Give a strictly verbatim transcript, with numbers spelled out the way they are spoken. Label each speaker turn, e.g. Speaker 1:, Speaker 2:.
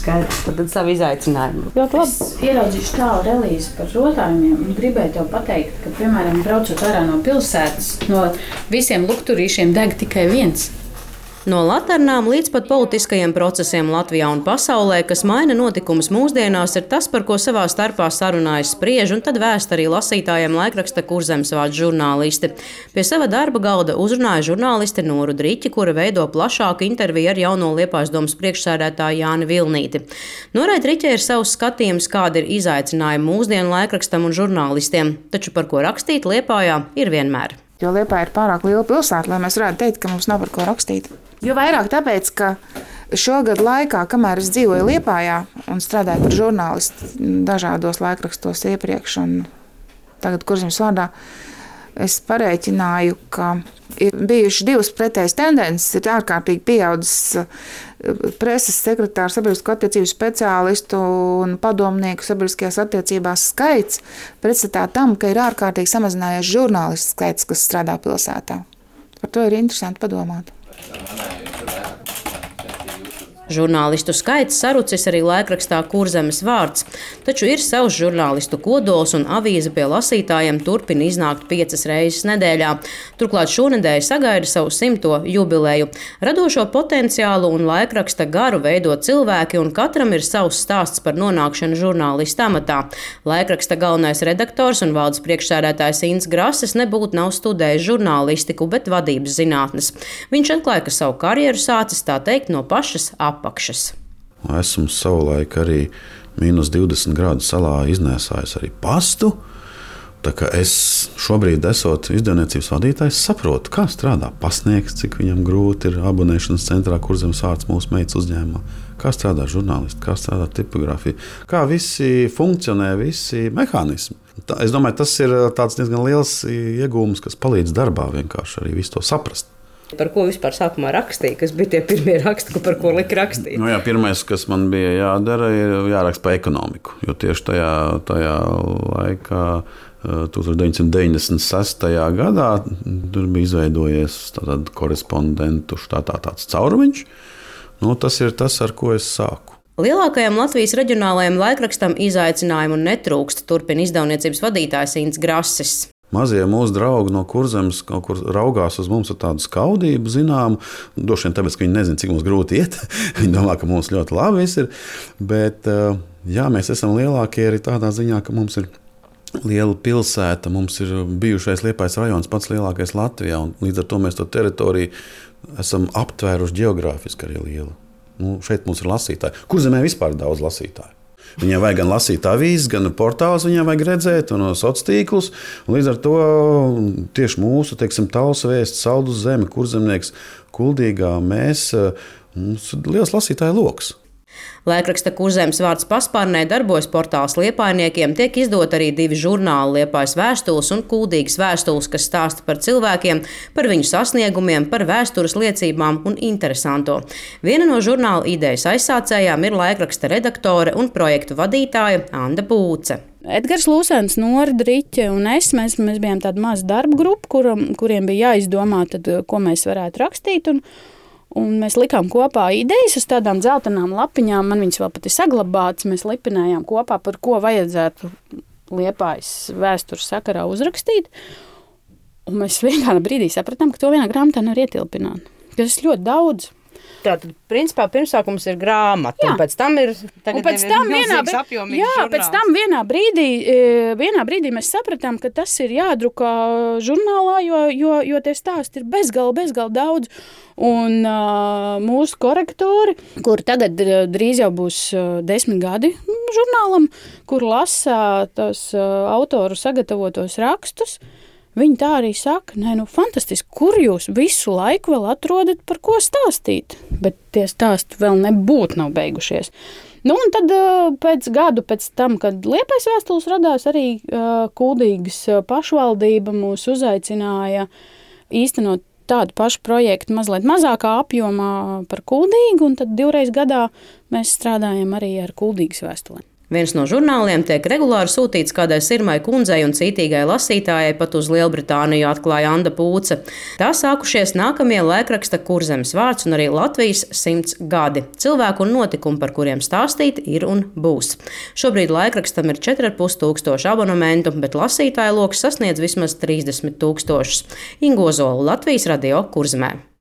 Speaker 1: skaidrs, tad savu izaicinājumu. Ļoti labi.
Speaker 2: Es ieraudzīšu tālu relīzi par rotājumiem un gribēju tev pateikt, ka, piemēram, braucot ārā no pilsētas, no visiem lukturīšiem deg tikai viens.
Speaker 3: No laternām līdz pat politiskajiem procesiem Latvijā un pasaulē, kas maina notikumus mūsdienās, ir tas, par ko savā starpā sarunājas spriež un tad vēst arī lasītājiem laikraksta Kurzemes vārds žurnālisti. Pie sava darba galda uzrunāja žurnālisti Noru Driķi, kura veido plašāku interviju ar jauno Liepājas domas priekšsēdētāju Jāni Vilnīti. Norai Driķei ir savs skatījums, kādi ir izaicinājumi mūsdienu laikrakstam un žurnālistiem, taču par ko rakstīt Liepājā ir vienmēr.
Speaker 4: Jo Liepāja ir pārāk liela pilsēta, lai mēs varētu teikt, ka mums nav par ko rakstīt. Jo vairāk tāpēc, ka šogad laikā, kamēr es dzīvoju Liepājā un strādāju par žurnālistu dažādos laikrakstos iepriekš un tagad Kurzemes vārdā, es parēķināju, ka ir bijušas divas pretējas tendences. Ir ārkārtīgi pieaudzis preses sekretāru, sabiedrisko attiecību speciālistu un padomnieku sabiedriskajās attiecībās skaits, pretstatā tam, ka ir ārkārtīgi samazinājies žurnālistu skaits, kas strādā pilsētā. Par to ir interesanti padomāt.
Speaker 3: Žurnālistu skaits sarucis arī laikrakstā Kurzemes vārds, taču ir savs žurnālistu kodols un avīze pie lasītājiem turpina iznākt piecas reizes nedēļā. Turklāt šonedēļ sagaida savu simto jubileju. Radošo potenciālu un laikraksta garu veido cilvēki, un katram ir savs stāsts par nonākšanu žurnālista amatā. Laikraksta galvenais redaktors un valdes priekšsēdētājs Inns Grases nebūtu nav studējis žurnālistiku, bet vadības zinātnes. Viņš atklāja, ka savu karjeru sācis tā teikt no pašas apakšas.
Speaker 5: Esmu savulaik arī mīnus divdesmit grādu salā iznēsājis arī pastu. Tā kā es šobrīd, esot izdevniecības vadītājs, saprotu, kā strādā pasniegts, cik viņam grūti ir abonēšanas centrā Kurzemes vārds mūsu meitas uzņēmumā, kā strādā žurnālisti, kā strādā tipogrāfija, kā visi funkcionē, visi mehānismi. Tā, es domāju, tas ir tāds diezgan liels iegūms, kas palīdz darbā vienkārši arī visu to saprast.
Speaker 1: Par ko vispār sākumā rakstīja, kas bija tie pirmie raksti, par ko lika rakstīt?
Speaker 5: Nu jā, pirmais, kas man bija jādara, ir jāraksta par ekonomiku, jo tieši tajā, tajā laikā, tūkstoš deviņsimt deviņdesmit sestajā gadā, tur bija izveidojies korespondentu štatā tāds caurumiņš. Nu, tas ir tas, ar ko es sāku.
Speaker 3: Lielākajam Latvijas reģionālajam laikrakstam izaicinājumu netrūkst, turpina izdevniecības vadītājs Inns Grases.
Speaker 5: Mazie mūsu draugi no Kurzemes kaut kur raugās uz mums ar tādu skaudību, zinām, droši vien tāpēc, ka viņi nezina, cik mums grūti iet. Viņi domā, ka mums ļoti labi viss ir, bet jā, mēs esam lielākie arī tādā ziņā, ka mums ir liela pilsēta, mums ir bijušais Liepājas rajons pats lielākais Latvijā, un līdz ar to mēs to teritoriju esam aptvēruši geogrāfiski arī lielu. Nu, šeit mums ir lasītāji. Kurzemē vispār ir daudz lasītāju. Viņiem vajag gan lasīt avīzes, gan portālus, viņiem vajag redzēt, un sociālos tīklus. Līdz ar to tieši mūsu, teiksim, Talsu vēsts, Saldus zeme, Kurzemnieks, Kuldīgā, mēs, mums ir liels lasītāju loks.
Speaker 3: Laikraksta Kurzemes vārds paspārnē darbojas portāls Liepājniekiem, tiek izdot arī divi žurnāli Liepājas vēstules un Kuldīgas vēstules, kas stāsta par cilvēkiem, par viņu sasniegumiem, par vēstures liecībām un interesanto. Viena no žurnāla idejas aizsācējām ir laikraksta redaktore un projektu vadītāja Anda Būce.
Speaker 2: Edgars Lūsens, Nora Driķe un es, mēs, mēs bijām tāda maza darba grupa, kuram, kuriem bija jāizdomā, tad, ko mēs varētu rakstīt. Un, Un mēs likām kopā idejas uz tādām dzeltenām lapiņām. Man viņas vēl pat ir saglabātas. Mēs lipinājām kopā, par ko vajadzētu Liepājas vēstures sakarā uzrakstīt. Un mēs vienā brīdī sapratām, ka to vienā grāmatā nevar ietilpināt. Tas ir ļoti daudz.
Speaker 1: Tātad, principā, pirmsākums ir grāmata, jā. Un pēc tam ir,
Speaker 2: un pēc tam vienā, jā, pēc tam vienā brīdī, vienā brīdī mēs sapratām, ka tas ir jādrukā žurnālā, jo, jo, jo tie stāsti ir bezgalīgi, bezgalīgi daudz. Un uh, mūsu korektori, kur tagad drīz jau būs desmit gadi žurnālam, kur lasa tos uh, autoru sagatavotos rakstus, viņi tā arī saka, nē, nu, fantastiski, kur jūs visu laiku vēl atrodat, par ko stāstīt, bet tie stāsti vēl nebūtu nav beigušies. Nu, un tad pēc gadu pēc tam, kad Liepājas vēstules radās, arī uh, Kuldīgas pašvaldība mūs uzaicināja īstenot tādu pašu projektu mazliet mazākā apjomā par Kuldīgu, un tad divreiz gadā mēs strādājam arī ar Kuldīgas vēstulēm.
Speaker 3: Viens no žurnāliem tiek regulāri sūtīts kādai Sirmai kundzei un cītīgai lasītājai pat uz Lielbritāniju, atklāja Anda Pūce. Tā sākušies nākamie laikraksta Kurzemes vārds un arī Latvijas simts gadi. Cilvēku un notikumu, par kuriem stāstīt, ir un būs. Šobrīd laikrakstam ir četri ar pus tūkstoši abonementu, bet lasītāju loks sasniedz vismaz trīsdesmit tūkstošus. Inga Ozola, Latvijas radio Kurzemē.